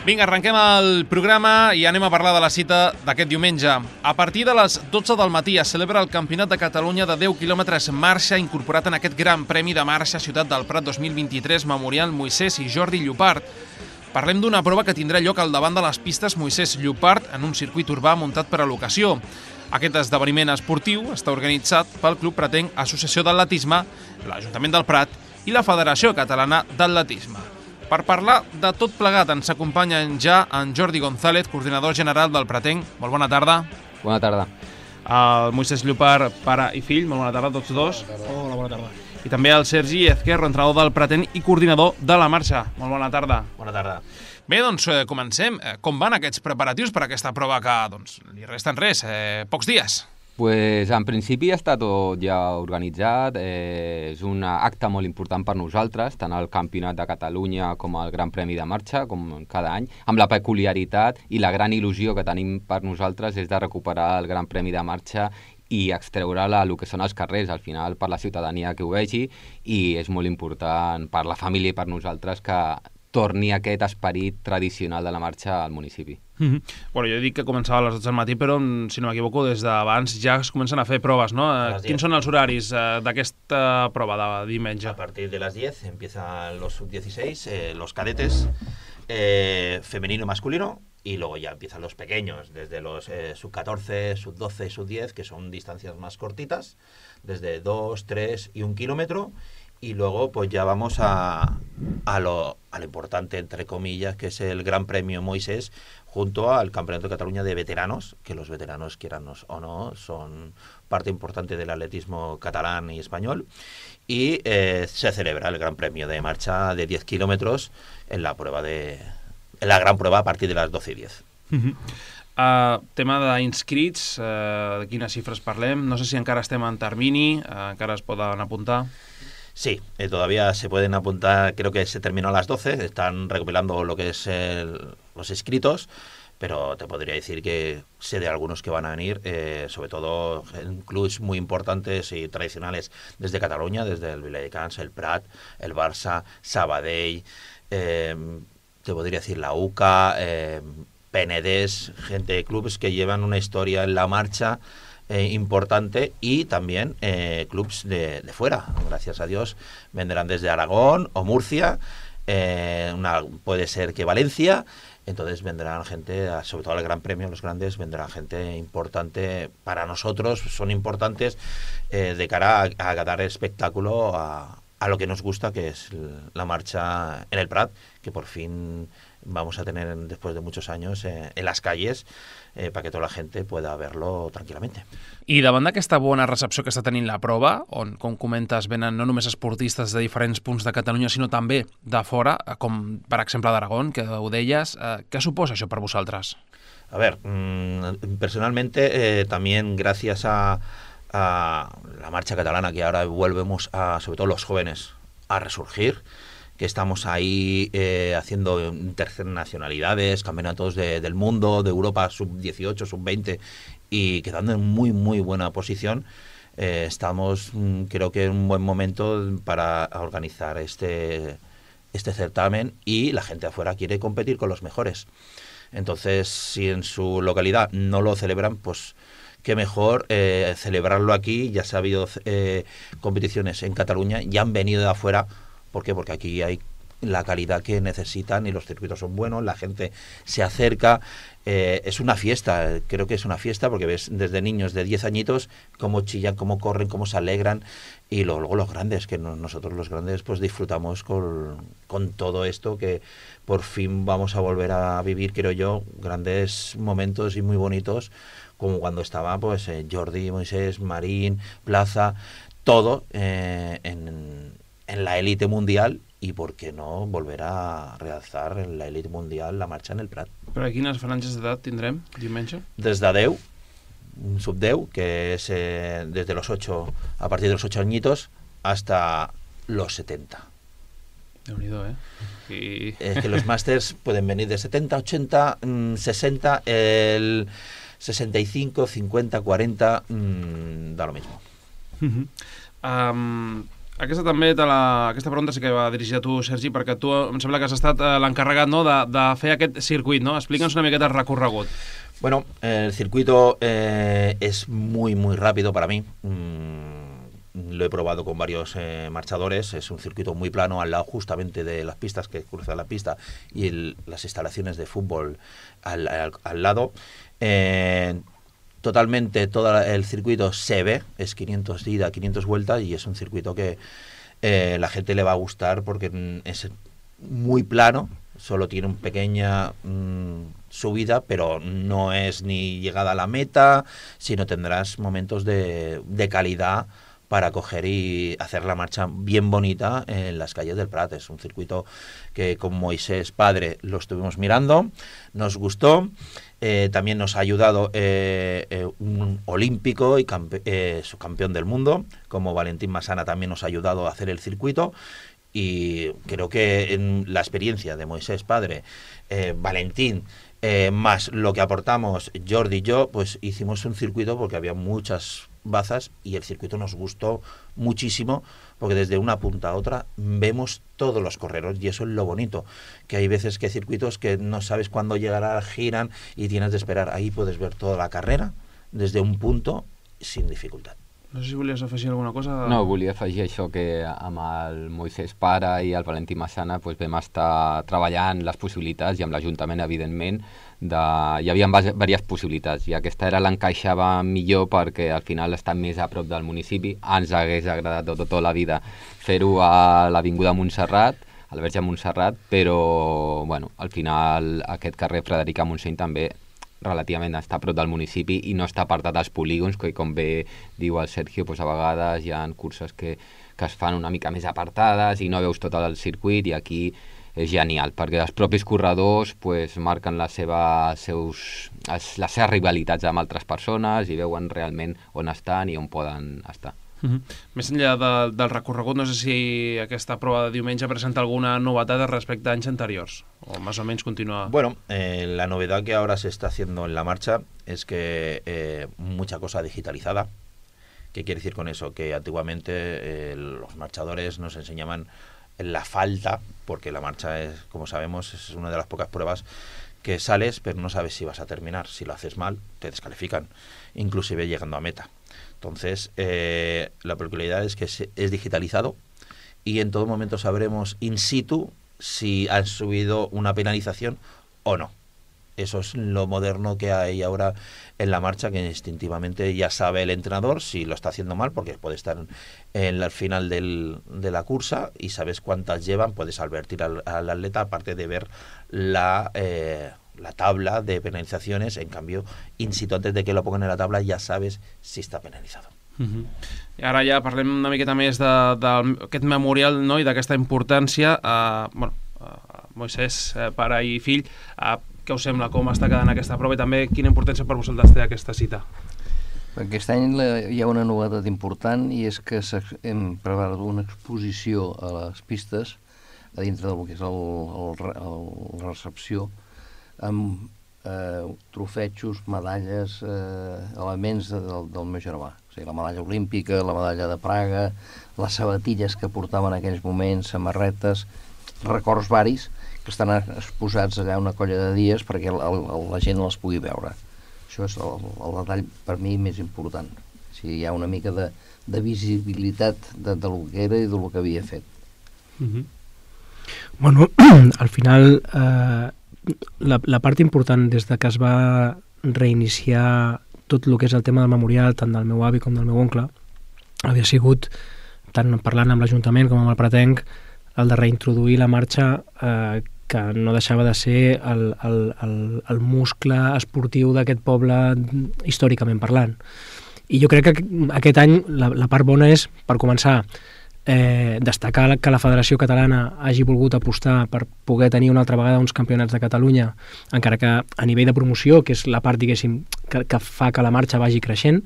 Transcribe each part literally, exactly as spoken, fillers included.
Vinga, arrenquem el programa i anem a parlar de la cita d'aquest diumenge. A partir de les dotze del matí es celebra el Campionat de Catalunya de deu quilòmetres marxa incorporat en aquest Gran Premi de Marxa Ciutat del Prat dos mil vint-i-tres Memorial Moisès i Jordi Llopart. Parlem d'una prova que tindrà lloc al davant de les pistes Moisès Llopart en un circuit urbà muntat per a l'ocasió. Aquest esdeveniment esportiu està organitzat pel Club Pratenc Associació d'Atletisme, l'Ajuntament del Prat i la Federació Catalana d'Atletisme. Per parlar de tot plegat ens acompanyen ja en Jordi González, coordinador general del Pratenc. Molt bona tarda. Bona tarda. El Moisès Llopart, pare i fill. Molt bona tarda a tots dos. Hola, bona tarda. I també el Sergi Ezquerro, entrenador del Pratenc i coordinador de la marxa. Molt bona tarda. Bona tarda. Bé, doncs eh, comencem. Com van aquests preparatius per aquesta prova que doncs, li resten res, eh, pocs dies? Pues, en principi està tot ja organitzat, eh, és un acte molt important per nosaltres, tant el Campionat de Catalunya com el Gran Premi de Marxa, com cada any, amb la peculiaritat i la gran il·lusió que tenim per nosaltres és de recuperar el Gran Premi de Marxa i extreure-la al que són els carrers, al final per la ciutadania que ho vegi, i és molt important per la família i per nosaltres que torni aquest esperit tradicional de la marxa al municipi. Mm-hmm. Bueno, jo dic que començava a les dotze del matí, però, si no m'equivoco, des d'abans ja es comencen a fer proves, ¿no? Quins són els horaris eh, d'aquesta prova de diumenge? A partir de las diez empiezan los sub dieciséis, eh, los cadetes, eh, femenino y masculino, y luego ya empiezan los pequeños, desde los eh, sub catorce, sub doce, sub diez, que son distancias más cortitas, desde dos, tres y un kilómetro, y luego pues ya vamos a, a, lo, a lo importante, entre comillas, que es el Gran Premio Moisés, junto al Campeonato de Cataluña de veteranos, que los veteranos, quieran o no, son parte importante del atletismo catalán y español, y eh, se celebra el Gran Premio de marcha de diez kilómetros en la prueba de en la gran prueba a partir de las doce y diez. Uh-huh. Uh, tema d'inscrits, uh, de quines xifres parlem? No sé si encara estem en termini, uh, encara es poden apuntar. Sí, eh, todavía se pueden apuntar, creo que se terminó a las doce, están recopilando lo que es el, los inscritos, pero te podría decir que sé de algunos que van a venir, eh, sobre todo en clubs muy importantes y tradicionales desde Cataluña, desde el Viladecans, el Prat, el Barça, Sabadell, eh, te podría decir la U C A, eh, Penedès, gente de clubes que llevan una historia en la marcha Eh, importante, y también eh, clubs de, de fuera, gracias a Dios, vendrán desde Aragón o Murcia, eh, una, puede ser que Valencia, entonces vendrán gente, sobre todo al Gran Premio, los grandes, vendrán gente importante para nosotros, son importantes eh, de cara a, a dar espectáculo a, a lo que nos gusta, que es la marcha en el Prat, que por fin vamos a tener después de muchos años eh, en las calles, eh, para que tota la gente pueda verlo tranquil·lament. I davant d'aquesta bona recepció que està tenint la prova, on, com comentes, venen no només esportistes de diferents punts de Catalunya, sinó també de fora, com per exemple d'Aragón, que ho deies, eh, què suposa això per vosaltres? A ver, mmm, personalmente, eh, también gracias a, a la marcha catalana, que ahora volvemos a, sobre todo los jóvenes, a resurgir, que estamos ahí eh, haciendo internacionalidades, campeonatos de, del mundo, de Europa, sub dieciocho, sub veinte, y quedando en muy, muy buena posición. Eh, estamos, creo que en un buen momento para organizar este, este certamen, y la gente afuera quiere competir con los mejores. Entonces, si en su localidad no lo celebran, pues qué mejor eh, celebrarlo aquí. Ya se ha habido eh, competiciones en Cataluña, ya han venido de afuera. ¿Por qué? Porque aquí hay la calidad que necesitan y los circuitos son buenos, la gente se acerca, eh, es una fiesta, creo que es una fiesta, porque ves desde niños de diez añitos cómo chillan, cómo corren, cómo se alegran, y luego, luego los grandes, que no, nosotros los grandes pues disfrutamos con, con todo esto, que por fin vamos a volver a vivir, creo yo, grandes momentos y muy bonitos, como cuando estaba pues eh, Jordi, Moisés, Marín, Plaza, todo eh, en... en la élite mundial, y por qué no volver a realzar en la élite mundial la marcha en el Prat. Però quines franges d'edat tindrem diumenge? Des de deu, sub deu, que es eh, desde los ocho, a partir de los ocho añitos, hasta los setenta. Déu-n'hi-do, eh? I... Es que los másters pueden venir de setenta, ochenta, sesenta, el sesenta y cinco, cincuenta, cuarenta, mmm, da lo mismo. Uh-huh. Um... Aquesta també, te la, aquesta pregunta sí que va dirigida a tu, Sergi, perquè tu em sembla que has estat eh, l'encarregat, no, de, de fer aquest circuit, ¿no? Explica'ns una miqueta el recorregut. Bueno, el circuito eh, es muy, muy rápido para mí. Mm, lo he probado con varios eh, marchadores. Es un circuito muy plano al lado justamente de las pistas que cruzan la pista y el, las instalaciones de fútbol al, al, al lado. Eh, Totalmente todo el circuito se ve, es quinientos ida, quinientos vueltas y es un circuito que eh, la gente le va a gustar porque es muy plano, solo tiene una pequeña mmm, subida, pero no es ni llegada a la meta, sino tendrás momentos de, de calidad para coger y hacer la marcha bien bonita en las calles del Prat. Es un circuito que con Moisés Padre lo estuvimos mirando, nos gustó. Eh, también nos ha ayudado eh, eh, un olímpico y campe eh, subcampeón del mundo, como Valentín Masana también nos ha ayudado a hacer el circuito. Y creo que en la experiencia de Moisés Padre, eh, Valentín, eh, más lo que aportamos Jordi y yo, pues hicimos un circuito porque había muchas bazas y el circuito nos gustó muchísimo porque desde una punta a otra vemos todos los correros y eso es lo bonito, que hay veces que hay circuitos que no sabes cuándo llegará, giran y tienes de esperar. Ahí puedes ver toda la carrera desde un punto sin dificultad. No sé si volies afegir alguna cosa. No, volia afegir això, que amb el Moisés Pare i el Valentí Massana pues, vam estar treballant les possibilitats i amb l'Ajuntament, evidentment, de... hi havia diverses possibilitats i aquesta era l'encaixava millor perquè al final està més a prop del municipi. Ens hagués agradat tota, tota la vida fer-ho a l'Avinguda Montserrat, a la Verge Montserrat, però bueno, al final aquest carrer Frederica Montseny també relativament està a prop del municipi i no està apartat dels polígons, que com bé diu el Sergio, doncs a vegades hi ha curses que, que es fan una mica més apartades i no veus tot el circuit, i aquí és genial, perquè els propis corredors pues, marquen la seva, seus, les seves rivalitats amb altres persones i veuen realment on estan i on poden estar. Uh-huh. Més enllà de, del recorregut, no sé si aquesta prova de diumenge presenta alguna novetat respecte a anys anteriors, o más o menos continúa. Bueno, eh, la novedad que ahora se está haciendo en la marcha es que eh, mucha cosa digitalizada. ¿Qué quiere decir con eso? Que antiguamente eh, los marchadores nos enseñaban la falta, porque la marcha, es, como sabemos, es una de las pocas pruebas que sales, pero no sabes si vas a terminar. Si lo haces mal, te descalifican, inclusive llegando a meta. Entonces, eh, la peculiaridad es que es digitalizado y en todo momento sabremos in situ si han subido una penalización o no. Eso es lo moderno que hay ahora en la marcha, que instintivamente ya sabe el entrenador si lo está haciendo mal, porque puede estar en el final del, de la cursa y sabes cuántas llevan, puedes advertir al, al atleta, aparte de ver la... Eh, la tabla de penalizaciones. En cambio, in situ, antes de que lo pongan en la tabla, ja sabes si està penalitzat. Uh-huh. I ara ja parlem una miqueta més d'aquest memorial, no?, i d'aquesta importància. Uh, bueno, uh, Moisés, uh, pare i fill, uh, què us sembla, com està quedant aquesta prova i també quina importància per vosaltres té aquesta cita? Aquest any hi ha una novetat important i és que hem preparat una exposició a les pistes a dintre del que és el, el, el, la recepció, amb eh, trofetxos, medalles, eh, elements de, del, del meu germà. O sigui, la medalla olímpica, la medalla de Praga, les sabatilles que portaven en aquells moments, samarretes, records varis que estan exposats allà una colla de dies perquè el, el, la gent les pugui veure. Això és el, el detall per mi més important. O sigui, hi ha una mica de, de visibilitat de, de lo que era i de lo que havia fet. Mm-hmm. Bueno, al final... Eh... La, la part important des de que es va reiniciar tot el que és el tema del memorial, tant del meu avi com del meu oncle, havia sigut, tant parlant amb l'Ajuntament com amb el Pratenc, el de reintroduir la marxa eh, que no deixava de ser el, el, el, el muscle esportiu d'aquest poble històricament parlant. I jo crec que aquest any la, la part bona és, per començar, Eh, destacar que la Federació Catalana hagi volgut apostar per poder tenir una altra vegada uns campionats de Catalunya, encara que a nivell de promoció, que és la part, diguéssim, que, que fa que la marxa vagi creixent.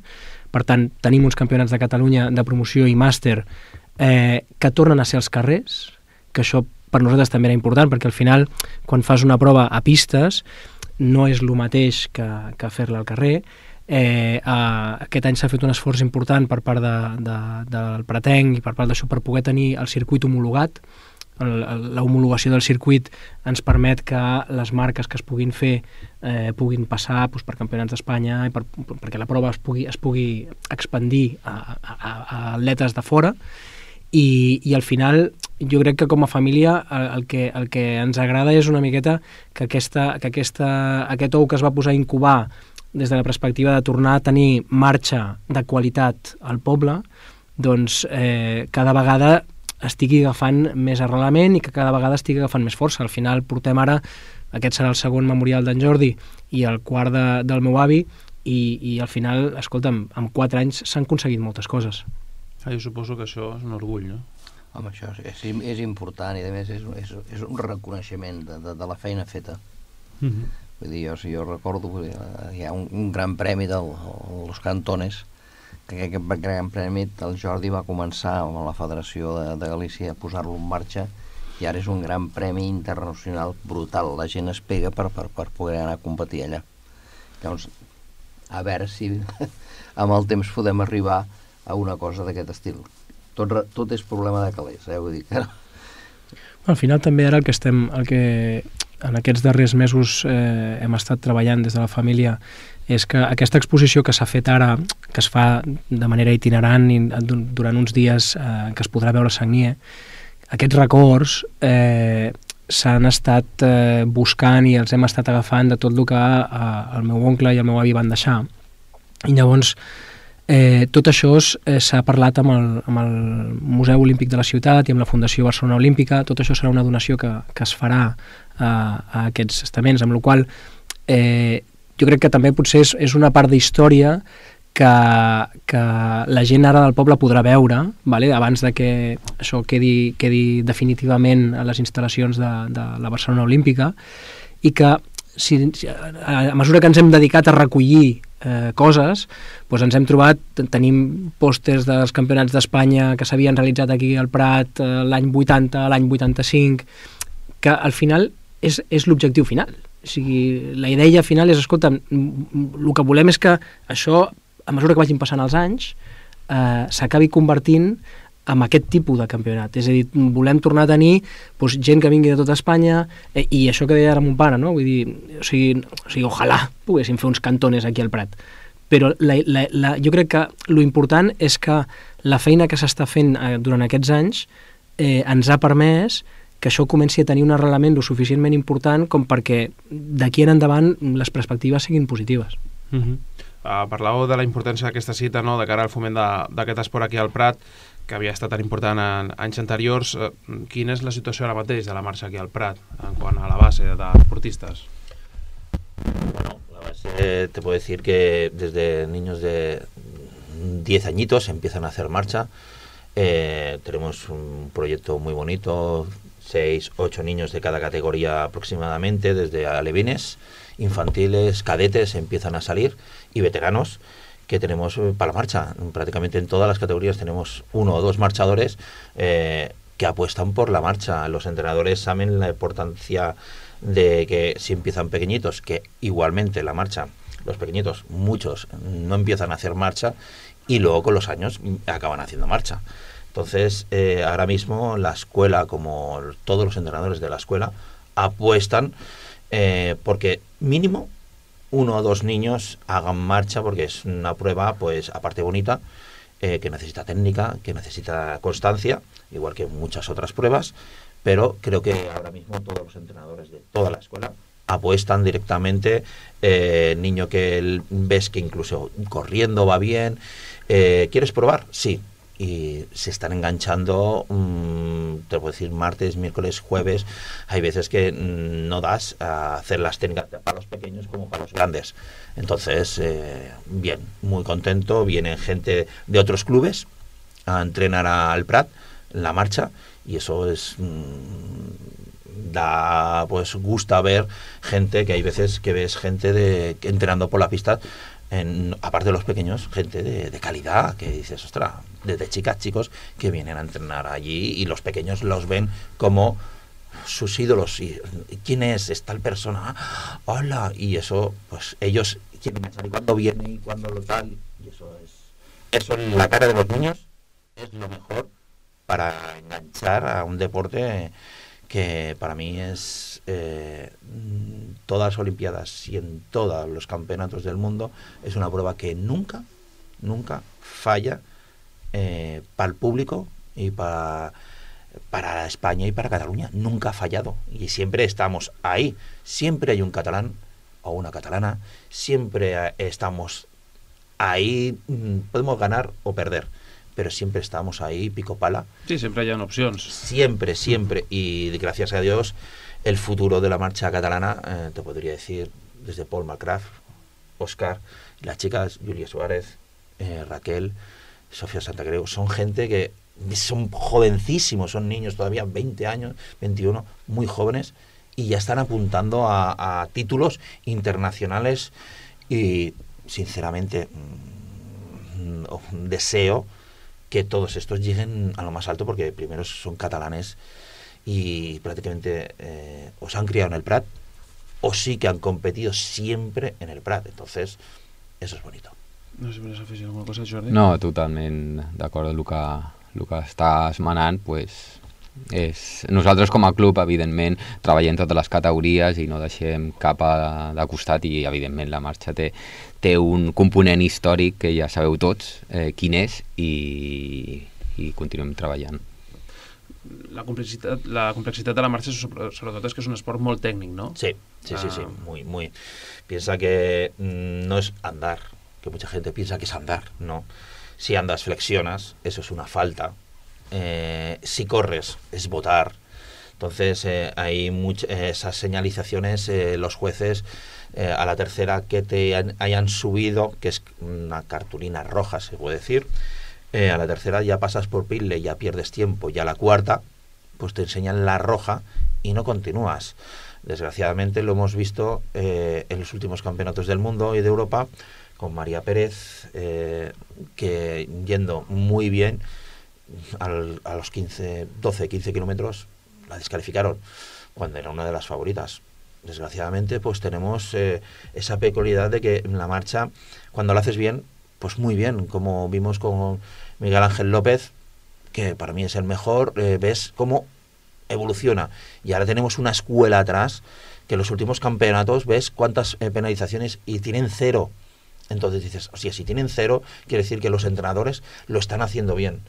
Per tant, tenim uns campionats de Catalunya de promoció i màster eh, que tornen a ser als carrers, que això per nosaltres també era important, perquè al final, quan fas una prova a pistes, no és el mateix que, que fer-la al carrer. Eh, uh, aquest any s'ha fet un esforç important per part de, de, del Pratenc i per part d'això per poder tenir el circuit homologat. L'homologació del circuit ens permet que les marques que es puguin fer eh, puguin passar doncs, per campionats d'Espanya i per, perquè la prova es pugui, es pugui expandir a, a, a atletes de fora i, i al final jo crec que com a família el, el, que, el que ens agrada és una miqueta que, aquesta, que aquesta, aquest ou que es va posar a incubar des de la perspectiva de tornar a tenir marxa de qualitat al poble, doncs eh, cada vegada estigui agafant més arrelament i que cada vegada estigui agafant més força. Al final portem ara, aquest serà el segon memorial d'en Jordi i el quart de, del meu avi i, i al final, escolta'm, en quatre anys s'han aconseguit moltes coses. Ah, jo suposo que això és un orgull, no? Home, això és, és, és important i a més és, és, és un reconeixement de, de, de la feina feta. Mm-hmm. Vull dir, jo, si jo recordo, hi ha un, un gran premi dels de, Cantones, que aquest gran premi el Jordi va començar amb la Federació de, de Galícia a posar-lo en marxa i ara és un gran premi internacional brutal. La gent es pega per, per, per poder anar a competir allà. Llavors, a veure si amb el temps podem arribar a una cosa d'aquest estil. Tot, tot és problema de calés, eh? Vull dir que... Al final també ara el que estem, el que en aquests darrers mesos eh, hem estat treballant des de la família és que aquesta exposició que s'ha fet ara, que es fa de manera itinerant i durant uns dies eh, que es podrà veure a Sagnier, aquests records eh, s'han estat eh, buscant i els hem estat agafant de tot el que eh, el meu oncle i el meu avi van deixar. I llavors eh, tot això eh, s'ha parlat amb el, amb el Museu Olímpic de la Ciutat i amb la Fundació Barcelona Olímpica. Tot això serà una donació que, que es farà eh, a aquests estaments, amb la qual eh, jo crec que també potser és, és una part d'història que, que la gent ara del poble podrà veure, vale? Abans de que això quedi, quedi definitivament a les instal·lacions de, de la Barcelona Olímpica, i que si, a mesura que ens hem dedicat a recollir eh, coses, doncs ens hem trobat, tenim pòsters dels campionats d'Espanya que s'havien realitzat aquí al Prat eh, l'any vuitanta, l'any vuitanta-cinc, que al final és, és l'objectiu final. O sigui, la idea final és, escolta, el que volem és que això, a mesura que vagin passant els anys, eh, s'acabi convertint en aquest tipus de campionat. És a dir, volem tornar a tenir doncs, gent que vingui de tota Espanya, eh, i això que deia ara mon pare, no? Vull dir, o sigui, o sigui, ojalà poguéssim fer uns cantones aquí al Prat. Però la, la, la, jo crec que lo important és que la feina que s'està fent eh, durant aquests anys eh, ens ha permès que això comenci a tenir un arrelament lo suficientment important com perquè d'aquí en endavant les perspectives siguin positives. Uh-huh. Uh, parlàveu de la importància d'aquesta cita, no?, de cara al foment d'aquest esport aquí al Prat, que havia estat tan important en anys anteriors. Uh, quina és la situació ara mateix de la marxa aquí al Prat en quant a la base d'esportistes? Bueno, la base te puedo decir que desde niños de diez añitos empiezan a hacer marcha. Eh, tenemos un proyecto muy bonito, seis, ocho niños de cada categoría aproximadamente, desde alevines, infantiles, cadetes empiezan a salir y veteranos que tenemos para la marcha. Prácticamente en todas las categorías tenemos uno o dos marchadores eh, que apuestan por la marcha. Los entrenadores saben la importancia de que si empiezan pequeñitos, que igualmente la marcha, los pequeñitos, muchos no empiezan a hacer marcha y luego con los años acaban haciendo marcha. Entonces, eh, ahora mismo la escuela, como todos los entrenadores de la escuela, apuestan eh, porque mínimo uno o dos niños hagan marcha, porque es una prueba, pues aparte bonita, eh, que necesita técnica, que necesita constancia, igual que muchas otras pruebas, pero creo que ahora mismo todos los entrenadores de toda la escuela apuestan directamente, eh, niño que ves que incluso corriendo va bien, eh, ¿quieres probar? Sí. Y se están enganchando, mmm, te puedo decir, martes, miércoles, jueves. Hay veces que mmm, no das a hacer las técnicas para los pequeños como para los grandes. Entonces, eh, bien, muy contento. Vienen gente de otros clubes a entrenar al Prat, la marcha, y eso es... Mmm, da, pues, gusta ver gente, que hay veces que ves gente de, entrenando por la pista, en, aparte de los pequeños, gente de, de calidad, que dices, ostras, desde chicas, chicos, que vienen a entrenar allí y los pequeños los ven como sus ídolos. Y, ¿quién es? Es tal persona. ¡Hola! Y eso, pues ellos quieren enganchar y cuándo viene y cuándo lo tal, y eso es, eso en la cara de los niños es lo mejor para enganchar a un deporte que para mí es eh, todas las Olimpiadas y en todos los campeonatos del mundo es una prueba que nunca, nunca falla eh, para el público y para, para España y para Cataluña. Nunca ha fallado y siempre estamos ahí. Siempre hay un catalán o una catalana, siempre estamos ahí, podemos ganar o perder, pero siempre estamos ahí, pico pala. Sí, sempre hi ha opcions. Siempre, siempre. Y gracias a Dios, el futuro de la marcha catalana, eh, te podría decir, desde Paul McCraft, Oscar, las chicas, Julia Suárez, eh, Raquel, Sofía Santacreu, son gente que son jovencísimos, son niños todavía, veinte años, veintiuno, muy jóvenes, y ya están apuntando a, a títulos internacionales y, sinceramente, mmm, deseo que todos estos lleguen a lo más alto porque primero son catalanes y prácticamente eh, o se han criado en el Prat o sí que han competido siempre en el Prat, entonces eso es bonito. No sé si vols afegir alguna cosa, Jordi. No, totalment d'acord amb el que, el que estàs manant, pues, és... nosaltres com a club, evidentment, treballem totes les categories i no deixem cap a, de costat i, evidentment, la marxa té, té un component històric que ja sabeu tots eh, quin és i, i continuem treballant. La complexitat, la complexitat de la marxa sobretot és que és un esport molt tècnic, ¿no? Sí, sí, sí, sí, muy, muy. Piensa que mmm, no es andar, que mucha gente piensa que es andar, no. Si andas flexionas, eso es una falta. Eh, si corres, es botar. Entonces eh, hay much- eh, esas señalizaciones, eh, los jueces eh, a la tercera que te han- hayan subido, que es una cartulina roja, se puede decir, eh, a la tercera ya pasas por pile, ya pierdes tiempo, ya a la cuarta pues te enseñan la roja y no continúas. Desgraciadamente lo hemos visto eh, en los últimos campeonatos del mundo y de Europa con María Pérez, eh, que yendo muy bien al, a los quince, doce, quince kilómetros la descalificaron cuando era una de las favoritas. Desgraciadamente pues tenemos eh, esa peculiaridad de que en la marcha cuando la haces bien, pues muy bien, como vimos con Miguel Ángel López, que para mí es el mejor, eh, ves cómo evoluciona y ahora tenemos una escuela atrás que en los últimos campeonatos ves cuántas eh, penalizaciones y tienen cero. Entonces dices, o sea, si tienen cero quiere decir que los entrenadores lo están haciendo bien.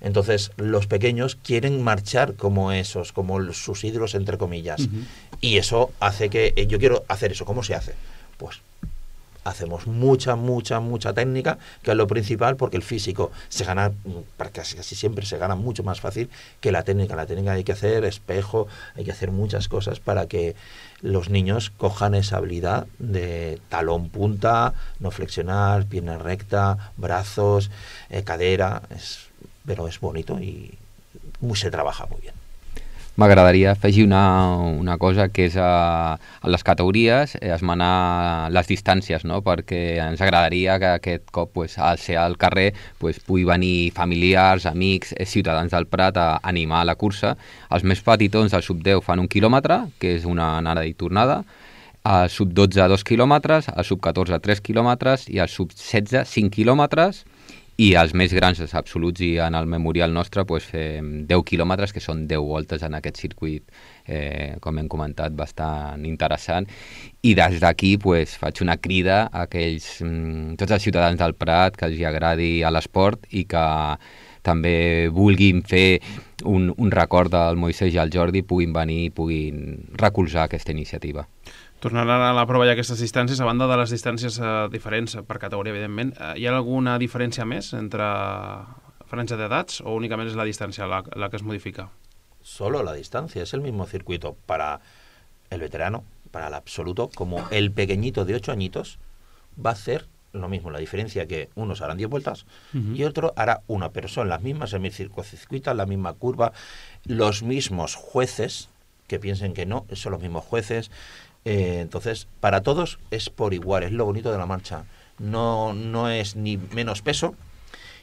Entonces los pequeños quieren marchar como esos, como sus ídolos entre comillas. Uh-huh. Y eso hace que eh, yo quiero hacer eso. ¿Cómo se hace? Pues hacemos mucha, mucha, mucha técnica, que es lo principal, porque el físico se gana, casi, casi siempre se gana mucho más fácil que la técnica. La técnica hay que hacer espejo, hay que hacer muchas cosas para que los niños cojan esa habilidad de talón punta, no flexionar, pierna recta, brazos, eh, cadera, es, pero es bonito y muy, se trabaja muy bien. M'agradaria afegir una, una cosa, que és a, a les categories eh, esmenar les distàncies, no? Perquè ens agradaria que aquest cop, pues, al ser al carrer, pues, pugui venir familiars, amics, eh, ciutadans del Prat a animar la cursa. Els més petitons del sub deu fan un quilòmetre, que és una anada i tornada, el sub dotze dos quilòmetres, el sub catorze tres quilòmetres i el sub setze cinc quilòmetres, i els més grans, els absoluts, i en el memorial nostre pues, fem deu quilòmetres, que són deu voltes en aquest circuit, eh, com hem comentat, bastant interessant. I des d'aquí pues, faig una crida a aquells, mm, tots els ciutadans del Prat que els agradi a l'esport i que també vulguin fer un, un record del Moisès i el Jordi, puguin venir i puguin recolzar aquesta iniciativa. Tornant a la prova i aquestes distàncies, a banda de les distàncies eh, diferents per categoria, evidentment, eh, hi ha alguna diferència més entre franja d'edats o únicament és la distància la, la que es modifica? Solo la distancia, es el mismo circuito para el veterano, para el absoluto, como el pequeñito de ocho añitos va a hacer lo mismo, la diferencia que unos harán diez vueltas uh-huh. y otro hará una, pero son las mismas semicircuitas, la misma curva, los mismos jueces, que piensen que no, son los mismos jueces. Eh, entonces, para todos es por igual, es lo bonito de la marcha. No, no es ni menos peso,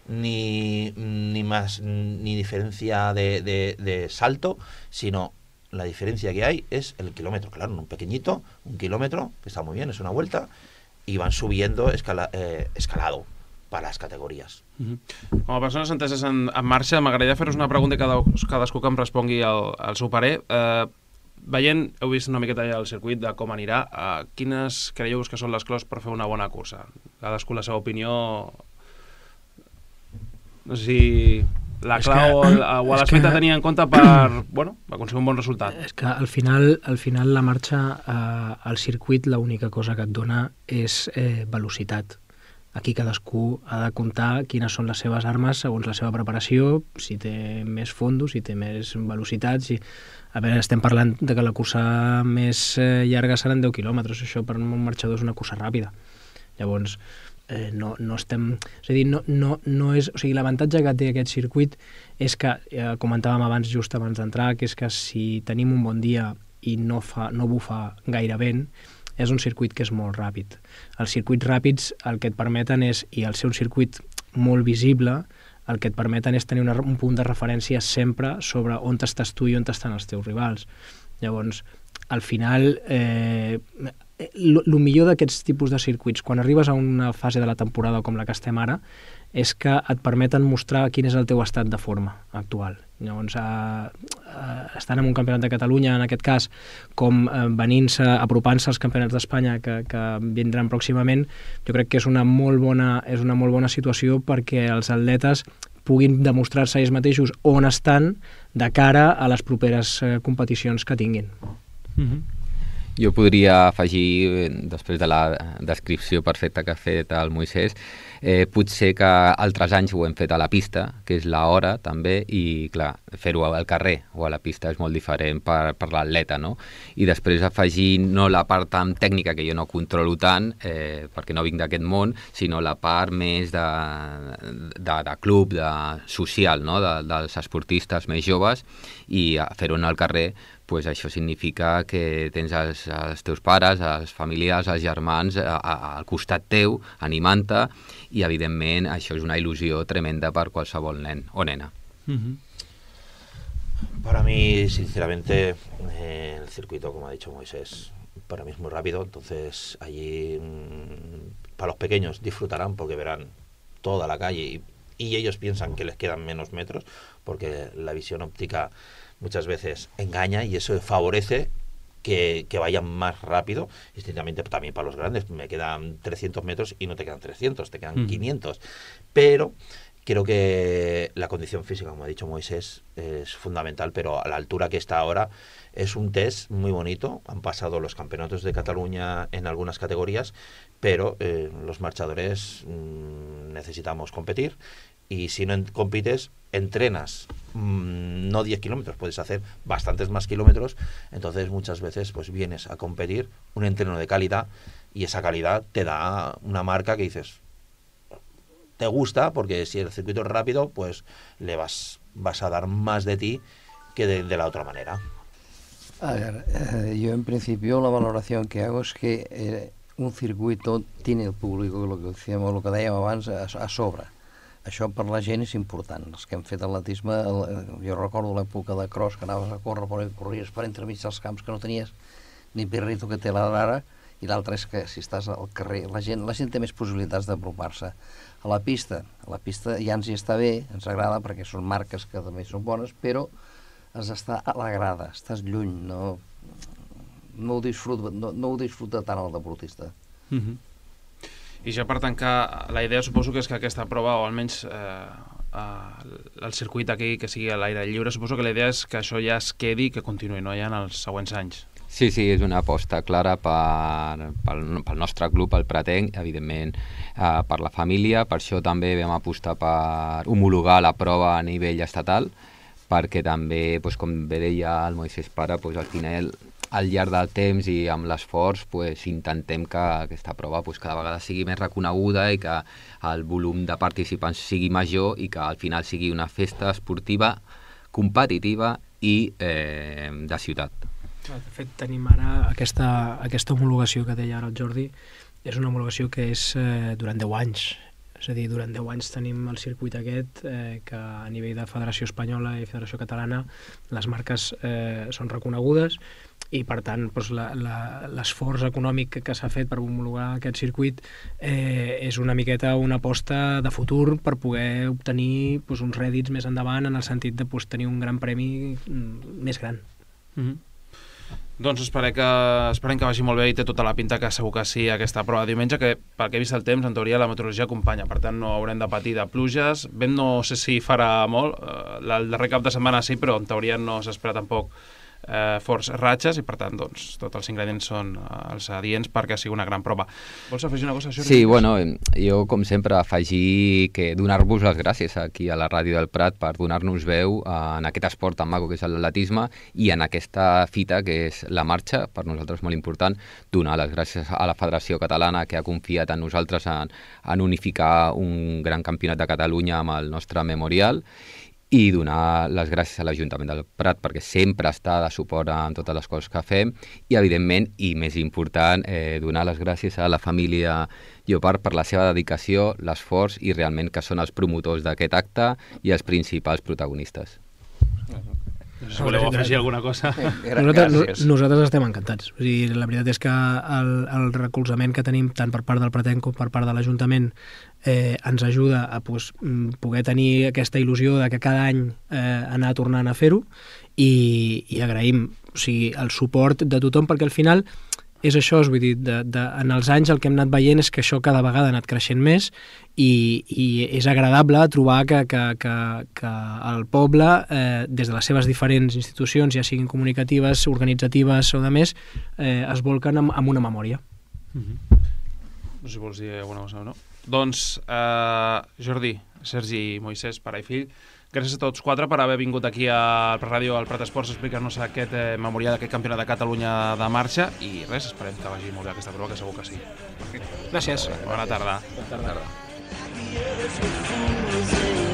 ni, ni más, ni diferencia de, de, de salto, sino la diferencia que hay es el kilómetro. Claro, un pequeñito, un kilómetro, que está muy bien, es una vuelta, y van subiendo escala, eh, escalado para las categories. Uh-huh. Com a persones enteses en, en marxa, m'agradaria fer-vos una pregunta i cada, cadascú que em respongui el, el seu parer. Eh, veient, heu vist una miqueta ja el circuit de com anirà, eh, quines creieu que són les claus per fer una bona cursa? Cadascú la seva opinió... No sé si la clau que, o, o l'has fet a tenir en compte per, bueno, per aconseguir un bon resultat. És que al final, al final la marxa, eh, al circuit, l'única cosa que et dona és eh, velocitat. Aquí cadascú ha de comptar quines són les seves armes segons la seva preparació, si té més fondo, si té més velocitat, si... A veure, estem parlant de que la cursa més eh, llarga seran deu quilòmetres, això per un marxador és una cursa ràpida. Llavors, eh, no, no estem... És a dir, no, no, no és... O sigui, l'avantatge que té aquest circuit és que, eh, comentàvem abans, just abans d'entrar, que és que si tenim un bon dia i no, fa, no bufa gaire vent, és un circuit que és molt ràpid. Els circuits ràpids el que et permeten és, i al ser un circuit molt visible, el que et permeten és tenir una, un punt de referència sempre sobre on estàs tu i on estan els teus rivals. Llavors, al final, eh, el millor d'aquests tipus de circuits, quan arribes a una fase de la temporada com la que estem ara, és que et permeten mostrar quin és el teu estat de forma actual. Llavors, eh, eh, estan en un campionat de Catalunya, en aquest cas, com eh, venint-se, apropant-se als campionats d'Espanya que, que vindran pròximament, jo crec que és una molt bona, és una molt bona situació perquè els atletes puguin demostrar-se ells mateixos on estan de cara a les properes eh, competicions que tinguin. Mm-hmm. Jo podria afegir, després de la descripció perfecta que ha fet el Moisès, eh, potser que altres anys ho hem fet a la pista, que és l'hora també, i clar, fer-ho al carrer o a la pista és molt diferent per, per l'atleta, no? I després afegir no la part tan tècnica que jo no controlo tant, eh, perquè no vinc d'aquest món, sinó la part més de, de, de club, de social, no? de, dels esportistes més joves, i fer-ho al carrer, pues això significa que tens els, els teus pares, els familiars, els germans a, a, al costat teu, animant-te, i evidentment això és una il·lusió tremenda per qualsevol nen o nena. Mm-hmm. Para mí, sinceramente, eh, el circuito, como ha dicho Moisés, para mí es muy rápido, entonces allí mmm, para los pequeños disfrutarán porque verán toda la calle y, y ellos piensan que les quedan menos metros porque la visión óptica muchas veces engaña y eso favorece que, que vayan más rápido. Y estrictamente también para los grandes, me quedan trescientos metros y no te quedan trescientos, te quedan mm. quinientos. Pero creo que la condición física, como ha dicho Moisés, es fundamental, pero a la altura que está ahora es un test muy bonito. Han pasado los campeonatos de Cataluña en algunas categorías, pero eh, los marchadores mmm, necesitamos competir. Y si no compites, entrenas mmm, no diez kilómetros, puedes hacer bastantes más kilómetros, entonces muchas veces pues vienes a competir un entreno de calidad y esa calidad te da una marca que dices, te gusta, porque si el circuito es rápido, pues le vas, vas a dar más de ti que de, de la otra manera. A ver, eh, yo en principio la valoración que hago es que eh, un circuito tiene el público, lo que decíamos, lo que dèiem abans, a, a sobre. Això per la gent és important. Els que hem fet atletisme, el, jo recordo l'època de cross, que anaves a córrer, però corries per entremig dels camps, que no tenies ni pirrito que té la d'ara, i l'altre és que si estàs al carrer, la gent, la gent té més possibilitats d'apropar-se. A la pista, a la pista ja ens hi està bé, ens agrada, perquè són marques que també són bones, però has d'estar a la grada, estàs lluny, no, no, ho, disfruta, no, no ho disfruta tant el deportista. Mm-hmm. I ja per tancar, la idea suposo que és que aquesta prova, o almenys eh, eh, el circuit aquí que sigui a l'aire lliure, suposo que la idea és que això ja es quedi i que continuï, no? Ja en els següents anys. Sí, sí, és una aposta clara per, pel, pel nostre club, el Pratenc, evidentment eh, per la família, per això també vam apostar per homologar la prova a nivell estatal, perquè també, doncs, com bé deia el Moisès Pare, doncs, al final al llarg del temps i amb l'esforç pues, intentem que aquesta prova pues, cada vegada sigui més reconeguda i que el volum de participants sigui major i que al final sigui una festa esportiva competitiva i eh, de ciutat. De fet, tenim ara aquesta, aquesta homologació que deia ara el Jordi, és una homologació que és eh, durant deu anys. És a dir, durant deu anys tenim el circuit aquest eh, que a nivell de Federació Espanyola i Federació Catalana les marques eh, són reconegudes i per tant doncs, l'esforç econòmic que, que s'ha fet per homologar aquest circuit eh, és una miqueta una aposta de futur per poder obtenir doncs, uns rèdits més endavant en el sentit de doncs, tenir un gran premi més gran. Mm-hmm. Doncs esperem que, esperem que vagi molt bé i té tota la pinta que segur que sí aquesta prova de diumenge, que pel que he vist el temps, en teoria la meteorologia acompanya, per tant no haurem de patir de pluges. Vent no sé si farà molt, el darrer cap de setmana sí, però en teoria no s'espera tampoc eh, forts ratxes i per tant doncs, tots els ingredients són eh, els adients perquè sigui una gran prova. Vols afegir una cosa, Jordi? Sí, bueno, jo com sempre afegir que donar-vos les gràcies aquí a la Ràdio del Prat per donar-nos veu en aquest esport tan maco que és l'atletisme i en aquesta fita que és la marxa, per nosaltres molt important, donar les gràcies a la Federació Catalana que ha confiat en nosaltres en, en unificar un gran campionat de Catalunya amb el nostre memorial i donar les gràcies a l'Ajuntament del Prat perquè sempre està de suport en totes les coses que fem i, evidentment, i més important, eh, donar les gràcies a la família Llopart per la seva dedicació, l'esforç i realment que són els promotors d'aquest acte i els principals protagonistes. No sé si voleu afegir alguna cosa. Nosaltres, nosaltres estem encantats. O sigui, la veritat és que el, el recolzament que tenim tant per part del Pratenc com per part de l'Ajuntament eh, ens ajuda a pues, poder tenir aquesta il·lusió de que cada any eh, anar tornant a fer-ho i, i agraïm o sigui, el suport de tothom perquè al final és això, vull dir, de, de, en els anys el que hem anat veient és que això cada vegada ha anat creixent més i, i és agradable trobar que, que, que, que el poble, eh, des de les seves diferents institucions, ja siguin comunicatives, organitzatives o de més, eh, es volquen amb, amb una memòria. Mm-hmm. No sé si vols dir alguna cosa o no. Doncs, eh, Jordi, Sergi i Moisès, pare i fill, gràcies a tots quatre per haver vingut aquí a la ràdio al Prat Esports a explicar-nos aquest eh, memorial d'aquest campionat de Catalunya de marxa i res, esperem que vagi molt bé aquesta prova, que segur que sí. Gràcies. Bona tarda. Bona tarda. Bona tarda.